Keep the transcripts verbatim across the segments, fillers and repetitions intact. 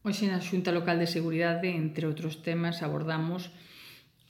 Hoxe na Xunta Local de Seguridade, entre outros temas, abordamos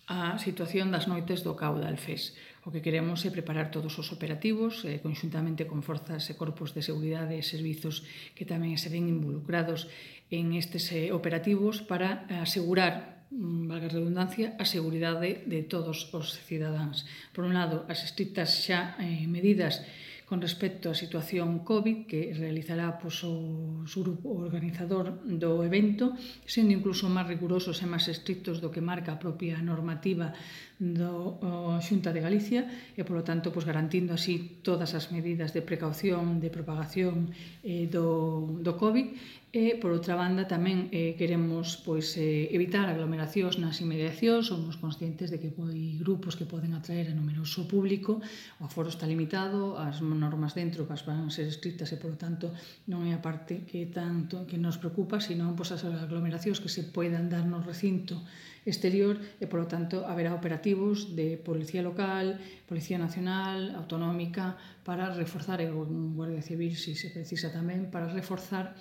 a situación das noites do C A U de Alfés. O que queremos é preparar todos os operativos, eh, conxuntamente con forzas e corpos de seguridade e servizos que tamén se ven involucrados en estes eh, operativos para asegurar, valga a redundancia, a seguridade de todos os cidadáns. Por un lado, as estrictas xa eh, medidas con respecto á situación COVID que realizará pois, o grupo organizador do evento, sendo incluso máis rigurosos e máis estrictos do que marca a propia normativa do Xunta de Galicia e, polo tanto, pois, garantindo así todas as medidas de precaución, de propagación eh, do, do COVID. E, por outra banda, tamén eh, queremos pois, eh, evitar aglomeracións nas inmediacións. Somos conscientes de que hai grupos que poden atraer a numeroso público, o aforo está limitado, as normas dentro que van ser estrictas e, polo tanto, non é a parte que tanto que nos preocupa, sino pois, as aglomeracións que se poidan dar no recinto exterior e, polo tanto, haberá operativos de Policía Local, Policía Nacional, Autonómica, para reforzar, e un Guardia Civil, se se precisa tamén, para reforzar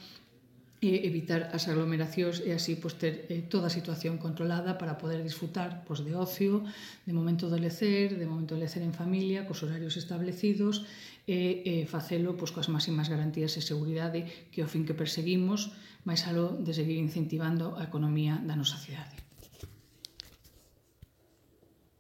e evitar as aglomeracións e así pois, ter eh, toda a situación controlada para poder disfrutar pois, de ocio, de momento de lecer, de momento de lecer en familia, cos horarios establecidos e eh, facelo pois, coas máximas garantías de seguridade que é o fin que perseguimos, máis aló de seguir incentivando a economía da nosa cidade.